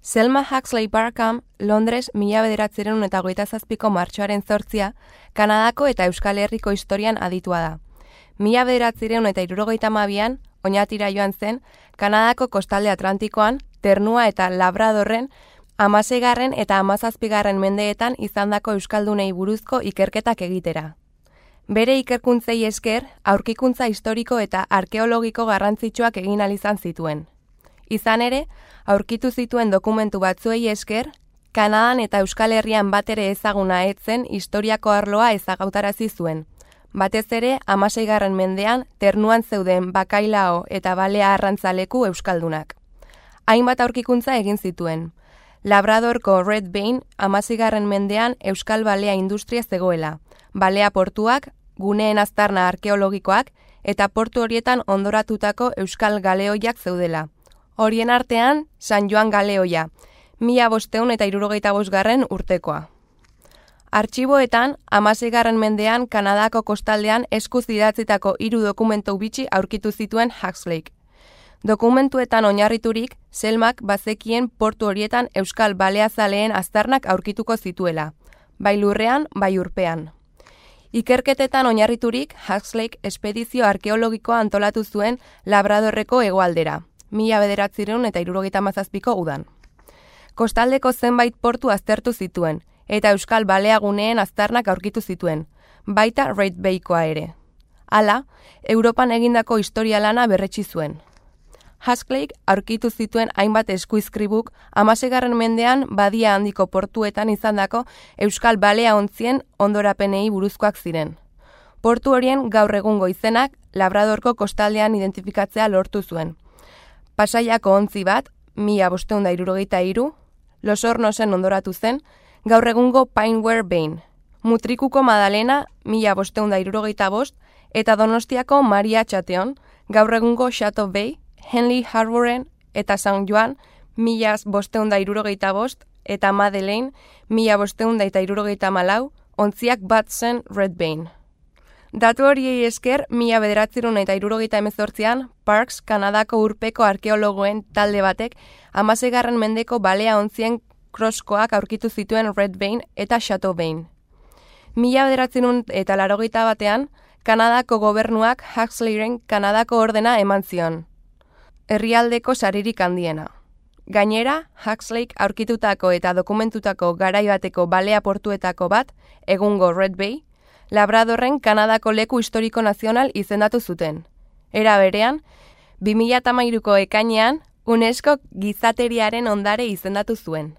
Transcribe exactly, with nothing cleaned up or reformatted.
Selma Huxley Barkham, Londres mila bederatziehun eta hogeita zazpiko martxoaren zortzia, Kanadako eta Euskal Herriko historian aditua da. Mila bederatziehun eta hirurogeita hamabian, Oñatira joan zen, Kanadako kostalde Atlantikoan, Ternua eta Labradorren, hamaseigarren eta hamazazpigarren mendeetan izandako euskaldunei buruzko ikerketak egitera. Bere ikerkuntzei esker, aurkikuntza historiko eta arkeologiko garrantzitsuak egin ahal izan zituen. Izan ere, aurkitu zituen dokumentu batzuei esker, Kanadan eta Euskal Herrian batere ezaguna etzen historiako arloa ezagautarazi zuen. Batez ere, hamaseigarren mendean, Ternuan zeuden bakailao eta balea arrantzaleku euskaldunak. Hainbat aurkikuntza egin zituen. Labradorko Red Vein hamaseigarren mendean euskal balea industria zegoela, balea portuak, guneen aztarna arkeologikoak eta portu horietan ondoratutako euskal galeoiak zeudela. Horien artean, San Joan galeoia, mila bosteun eta hirurogeita bosgarren urtekoa. Artxiboetan, hamaseigarren mendean Kanadako kostaldean eskuz idatzitako hiru dokumentu bitxi aurkitu zituen Huxleyk. Dokumentuetan oinarriturik, Selmak bazekien portu horietan euskal baleazaleen aztarnak aurkituko zituela, bai lurrean, bai urpean. Ikerketetan oinarriturik, Huxleyk espedizio arkeologikoa antolatu zuen Labradorreko hegoaldera, mila bederatziehun eta hirurogeita hamazazpiko udan. Kostaldeko zenbait portu aztertu zituen, eta euskal baleaguneen aztarnak aurkitu zituen, baita Red Baykoa ere. Hala, Europan egindako historia lana berretsi zuen. Huxleyk aurkitu zituen hainbat eskuizkribuk hamaseigarren mendean badia handiko portuetan izandako euskal balea ontzien ondorapenei buruzkoak ziren. Portu horien gaur egungo izenak Labradorko kostaldean identifikatzea lortu zuen. Pasaiako ontzi bat, mila bosteun da hirurogeita hiru, Los Hornosen ondoratu zen, gaur egungo Pineware Bain, Mutrikuko Madalena, mila bosteun da hirurogeita bost, eta Donostiako Maria Txateon, gaur egungo Chateau Bay, Henley Harboren eta San Joan, mila bosteun da hirurogeita bost, eta Madeleine, mila bosteun da hirurogeita malau, ontziak bat zen Red Bain. Datu horiei esker, mila bederatziehun eta hirurogeita hemezortzian, Parks, Kanadako urpeko arkeologoen talde batek, hamaseigarren mendeko balea ontzien kroskoak aurkitu zituen Red Bain eta Chateau Bain. Mila bederatziehun eta laurogeita batean, Kanadako gobernuak Huxleyren Kanadako ordena eman zion. Herrialdeko saririk handiena. Gainera, Huxleyk aurkitutako eta dokumentutako garai bateko balea portuetako bat, egungo Red Bay, Labradorren Kanadako leku historiko nazional izendatu zuten. Era berean, bi mila hamairuko ekainean, UNESCO gizateriaren ondare izendatu zuen.